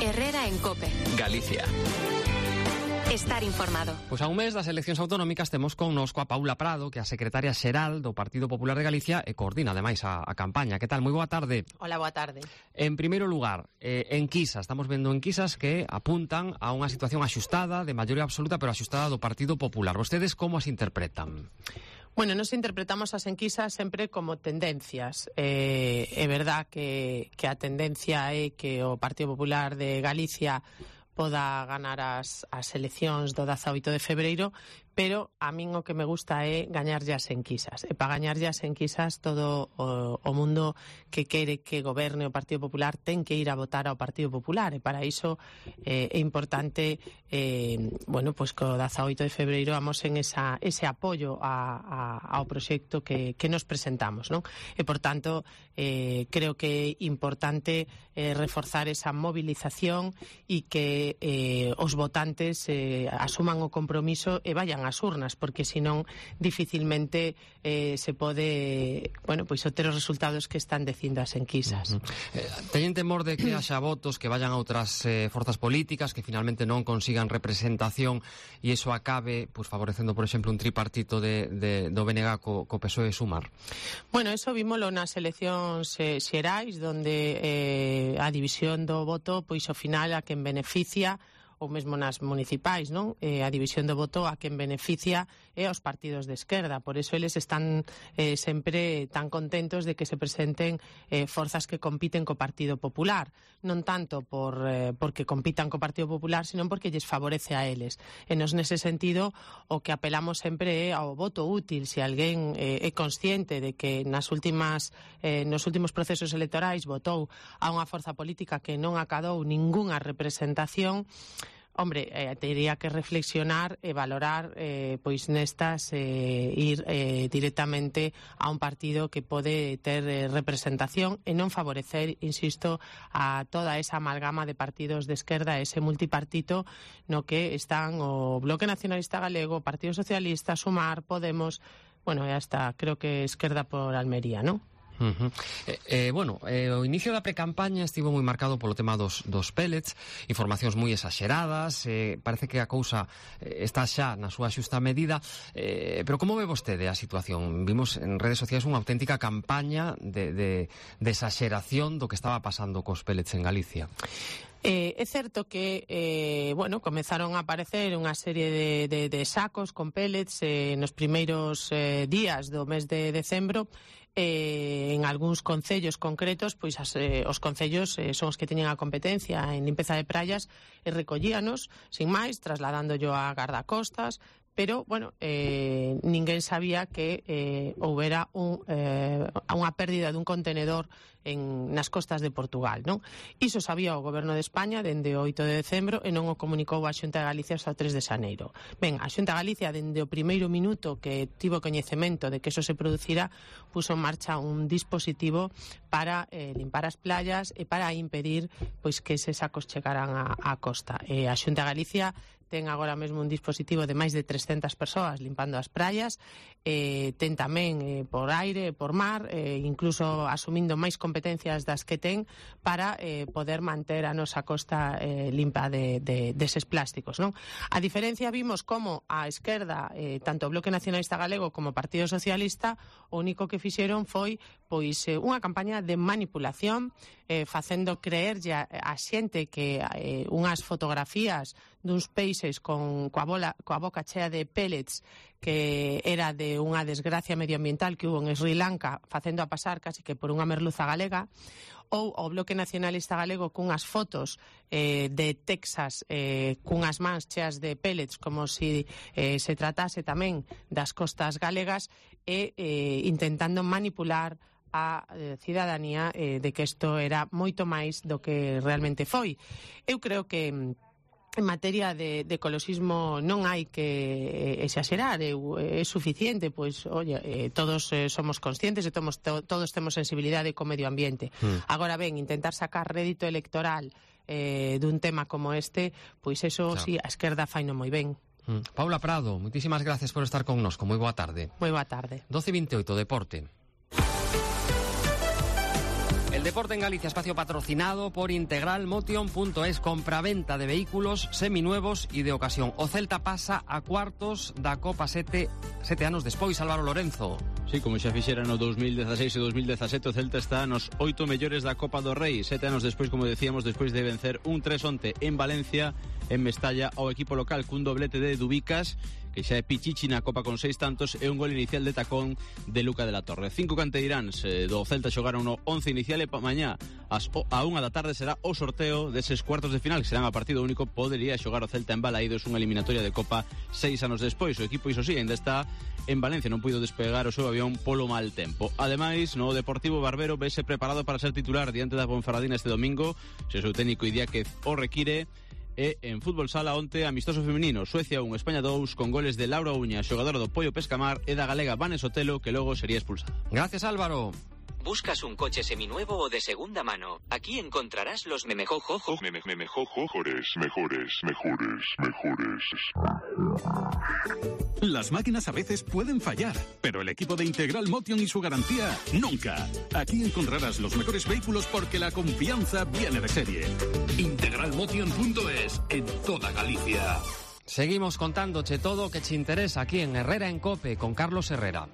Herrera en COPE. Galicia. Estar informado. Pois a un mes das eleccións autonómicas temos connosco a Paula Prado, que é a secretaria xeral do Partido Popular de Galicia e coordina ademais a campaña. Que tal? Moi boa tarde. Hola, boa tarde. En primeiro lugar, enquisas, estamos vendo enquisas que apuntan a unha situación axustada, de maioría absoluta, pero axustada do Partido Popular. Vostedes como as interpretan? Bueno, nos interpretamos as enquisas sempre como tendencias. É verdad que a tendencia é que o Partido Popular de Galicia poda ganar as eleccións do 18 de febreiro, pero a min o que me gusta é gañarlle as enquisas. E para gañarlle as enquisas todo o mundo que quere que goberne o Partido Popular ten que ir a votar ao Partido Popular, e para iso é importante pois que o 18 de febreiro amosen ese apoio ao proxecto que nos presentamos, non? E por tanto creo que é importante reforzar esa movilización e que os votantes asuman o compromiso e vayan ás urnas, porque senón dificilmente se pode obter os resultados que están dicindo as enquisas. Teñen temor de que haxa votos que vayan a outras forzas políticas que finalmente non consigan representación e iso acabe favorecendo, por exemplo, un tripartito do BNG co PSOE e Sumar? Bueno, eso vímolo nas eleccións xerais, donde a división do voto, pois ao final a quen beneficia, ou mesmo nas municipais, non? A división do voto a quen beneficia é aos partidos de esquerda. Por eso eles están sempre tan contentos de que se presenten forzas que compiten co Partido Popular. Non tanto porque compitan co Partido Popular, senón porque lles favorece a eles. E nos nese sentido o que apelamos sempre é ao voto útil. Se alguén é consciente de que nos últimos procesos electorais votou a unha forza política que non acadou ningunha representación, hombre, teria que reflexionar e valorar pois nestas ir directamente a un partido que pode ter representación e non favorecer, insisto, a toda esa amalgama de partidos de esquerda, ese multipartito no que están o Bloque Nacionalista Galego, o Partido Socialista, Sumar, Podemos, e hasta creo que Esquerda por Almería, non? O inicio da precampaña estivo moi marcado polo tema dos pellets, informacións moi exaxeradas, parece que a cousa está xa na súa xusta medida, pero como ve vostede a situación? Vimos en redes sociais unha auténtica campaña de exaxeración do que estaba pasando cos pellets en Galicia. É certo que comezaron a aparecer unha serie de sacos con pellets nos primeiros días do mes de decembro. En algúns concellos concretos, pois os concellos son os que teñen a competencia en limpeza de praias e recollíanos, sin máis, trasladándoyo a gardacostas, pero, ninguén sabía que houbera unha pérdida dun contenedor nas costas de Portugal, non? Iso sabía o Goberno de España dende o 8 de decembro e non o comunicou a Xunta de Galicia hasta o 3 de xaneiro. Ben, a Xunta de Galicia, dende o primeiro minuto que tivo coñecemento de que eso se producira, puso en marcha un dispositivo para limpar as playas e para impedir pois que eses sacos chegaran á costa. A Xunta de Galicia ten agora mesmo un dispositivo de máis de 300 persoas limpando as praias, ten tamén por aire, por mar, incluso asumindo máis competencias das que ten para poder manter a nosa costa limpa deses plásticos, non? A diferencia, vimos como a esquerda, tanto o Bloque Nacionalista Galego como o Partido Socialista, o único que fixeron foi pois unha campaña de manipulación, facendo creerlle a xente que unhas fotografías duns peixes coa boca chea de pellets que era de unha desgracia medioambiental que hubo en Sri Lanka, facendo a pasar casi que por unha merluza galega, ou o Bloque Nacionalista Galego cunhas fotos de Texas cunhas mans cheas de pellets como se tratase tamén das costas galegas e intentando manipular a cidadanía de que isto era moito máis do que realmente foi. Eu creo que en materia de ecoloxismo non hai que exagerar, é suficiente, pois, todos somos conscientes e todos temos sensibilidade co medio ambiente. Agora ben, intentar sacar rédito electoral dun tema como este, pois eso sí, a esquerda faino moi ben. Paula Prado, moitísimas gracias por estar connosco, moi boa tarde. Moi boa tarde. 12:28, Deporte. El deporte en Galicia, espacio patrocinado por integralmotion.es, compraventa de vehículos seminuevos e de ocasión. O Celta pasa a cuartos da Copa sete anos despois, Álvaro Lorenzo. Sí, como xa fixera no 2016 e 2017, o Celta está nos 8 mellores da Copa do Rei. 7 anos despois, como decíamos, despois de vencer un 3-onte en Valencia, en Mestalla, ao equipo local cun doblete de Dubicas, que xa é pichichi na Copa con 6 tantos, e un gol inicial de tacón de Luca de la Torre. 5 canteiráns do Celta xogaron no 11 inicial e mañá a 1 da tarde será o sorteo deses cuartos de final, que serán a partido único. Podería xogar o Celta en Balaídos, unha eliminatoria de Copa 6 anos despois. O equipo, iso sí, ainda está en Valencia, non puido despegar o seu avión polo mal tempo. Ademais, no Deportivo Barbero vese preparado para ser titular diante da Ponferradina este domingo, se o seu técnico Idiáquez o require. E en fútbol sala onte, amistoso femenino, Suecia 1, España 2, con goles de Laura Uña, xogadora do Pollo Pescamar, e da galega Vane Sotelo, que logo sería expulsada. Gracias, Álvaro. ¿Buscas un coche seminuevo o de segunda mano? Aquí encontrarás los mejores. Las máquinas a veces pueden fallar, pero el equipo de Integral Motion y su garantía, nunca. Aquí encontrarás los mejores vehículos porque la confianza viene de serie. Integralmotion.es, en toda Galicia. Seguimos contándoche todo o que te interesa aquí en Herrera en Cope con Carlos Herrera.